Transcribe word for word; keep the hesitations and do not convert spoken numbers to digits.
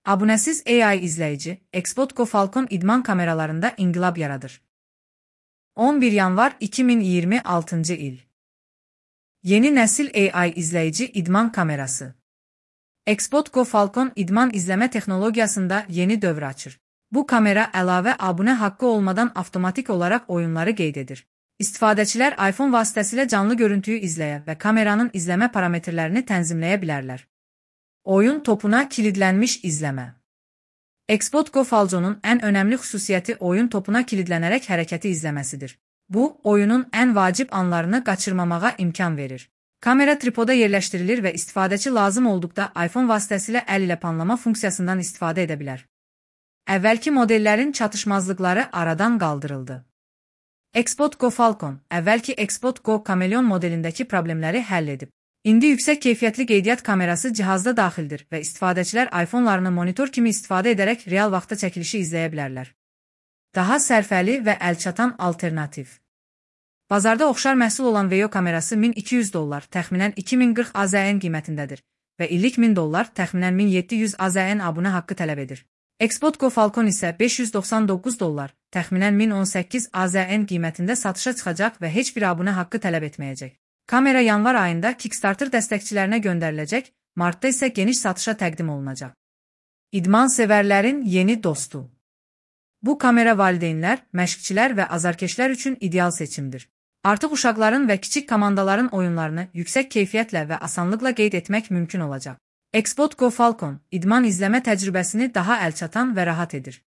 Abunəsiz A I izləyici, Xbox Go Falcon idman kameralarında inqilab yaradır. on bir yanvar iki min iyirmi altıncı il. Yeni nəsil A I izləyici idman kamerası. Xbox Go Falcon idman izləmə texnologiyasında yeni dövr açır. Bu kamera əlavə abunə haqqı olmadan avtomatik olaraq oyunları qeyd edir. İstifadəçilər iPhone vasitəsilə canlı görüntüyü izləyə və kameranın izləmə parametrlərini tənzimləyə bilərlər. Oyun topuna kilidlənmiş izləmə. Xbox Go Falcon'un ən önəmli xüsusiyyəti oyun topuna kilidlənərək hərəkəti izləməsidir. Bu, oyunun ən vacib anlarını qaçırmamağa imkan verir. Kamera tripoda yerləşdirilir və istifadəçi lazım olduqda iPhone vasitəsilə əl ilə panlama funksiyasından istifadə edə bilər. Əvvəlki modellərin çatışmazlıqları aradan qaldırıldı. Xbox Go Falcon, əvvəlki Xbox Go Chameleon modelindəki problemləri həll edib. İndi yüksək keyfiyyətli qeydiyyat kamerası cihazda daxildir və istifadəçilər iPhone-larını monitor kimi istifadə edərək real vaxtda çəkilişi izləyə bilərlər. Daha sərfəli və əlçatan alternativ. Bazarda oxşar məhsul olan Veo kamerası min iki yüz dollar, təxminən iki min qırx AZN qiymətindədir və illik min dollar, təxminən min yeddi yüz AZN abunə haqqı tələb edir. Xbox Go Falcon isə beş yüz doxsan doqquz dollar, təxminən min on səkkiz AZN qiymətində satışa çıxacaq və heç bir abunə haqqı tələb etməyəcək. Kamera yanvar ayında Kickstarter dəstəkçilərinə göndəriləcək, martda isə geniş satışa təqdim olunacaq. İdman sevərlərin yeni dostu. Bu kamera valideynlər, məşqçilər və azarkeşlər üçün ideal seçimdir. Artıq uşaqların və kiçik komandaların oyunlarını yüksək keyfiyyətlə və asanlıqla qeyd etmək mümkün olacaq. Xbox Go Falcon idman izləmə təcrübəsini daha əlçatan və rahat edir.